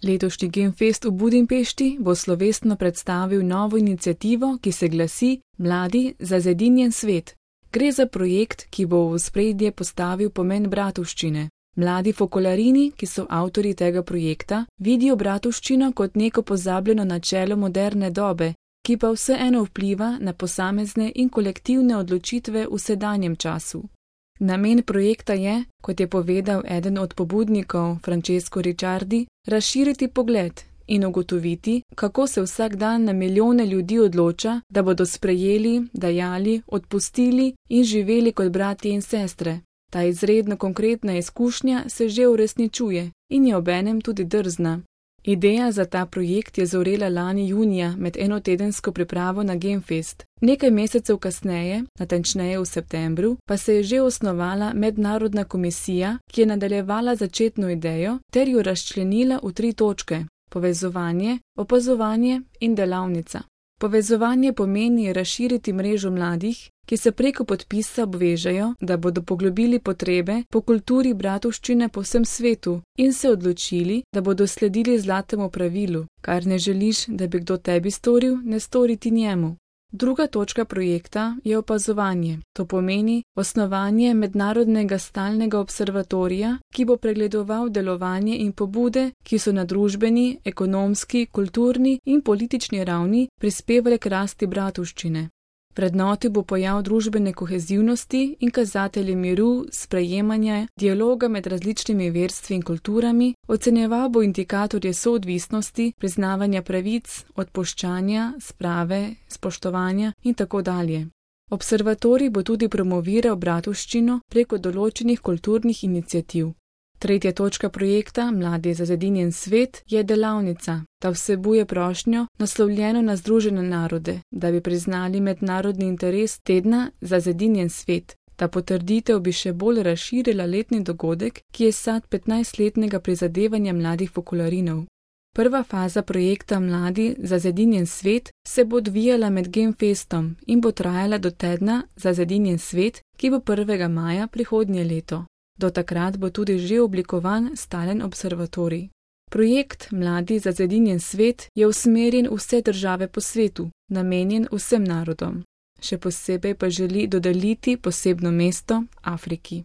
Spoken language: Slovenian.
Letošnji Genfest v Budimpešti bo slovesno predstavil novo iniciativo, ki se glasi Mladi za zedinjen svet. Gre za projekt, ki bo v ospredje postavil pomen bratovščine. Mladi Fokolarini, ki so avtorji tega projekta, vidijo bratovščino kot neko pozabljeno načelo moderne dobe, ki pa vseeno vpliva na posamezne in kolektivne odločitve v sedanjem času. Namen projekta je, kot je povedal eden od pobudnikov, Francesco Ricciardi, razširiti pogled in ugotoviti, kako se vsak dan na milijone ljudi odloča, da bodo sprejeli, dajali, odpustili in živeli kot bratje in sestre. Ta izredno konkretna izkušnja se že uresničuje in je obenem tudi drzna. Ideja za ta projekt je zorela lani junija med enotedensko pripravo na Genfest. Nekaj mesecev kasneje, natančneje v septembru, pa se je že osnovala mednarodna komisija, ki je nadaljevala začetno idejo ter jo razčlenila v 3 točke: povezovanje, opazovanje in delavnica. Povezovanje pomeni razširiti mrežo mladih, ki se preko podpisa obvežejo, da bodo poglobili potrebe po kulturi bratovščine po vsem svetu in se odločili, da bodo sledili zlatemu pravilu: kar ne želiš, da bi kdo tebi storil, ne storiti njemu. Druga točka projekta je opazovanje. To pomeni osnovanje mednarodnega stalnega observatorija, ki bo pregledoval delovanje in pobude, ki so na družbeni, ekonomski, kulturni in politični ravni prispevale k rasti bratovščine. Vrednotil bo pojav družbene kohezivnosti in kazatelje miru, sprejemanja, dialoga med različnimi verstvi in kulturami, ocenjeval bo indikatorje soodvisnosti, priznavanja pravic, odpuščanja, sprave, spoštovanja in tako dalje. Observatorij bo tudi promoviral bratovščino preko določenih kulturnih iniciativ. Tretja točka projekta Mladi za zedinjen svet je delavnica. Ta vsebuje prošnjo, naslovljeno na Združene narode, da bi priznali mednarodni interes tedna za zedinjen svet. Ta potrditev bi še bolj razširila letni dogodek, ki je sad 15-letnega prizadevanja mladih Fokolarinov. Prva faza projekta Mladi za zedinjen svet se bo odvijala med Genfestom in bo trajala do tedna za zedinjen svet, ki bo 1. maja prihodnje leto. Do takrat bo tudi že oblikovan stalen observatorij. Projekt Mladi za zedinjen svet je usmerjen v vse države po svetu, namenjen vsem narodom. Še posebej pa želi dodeliti posebno mesto Afriki.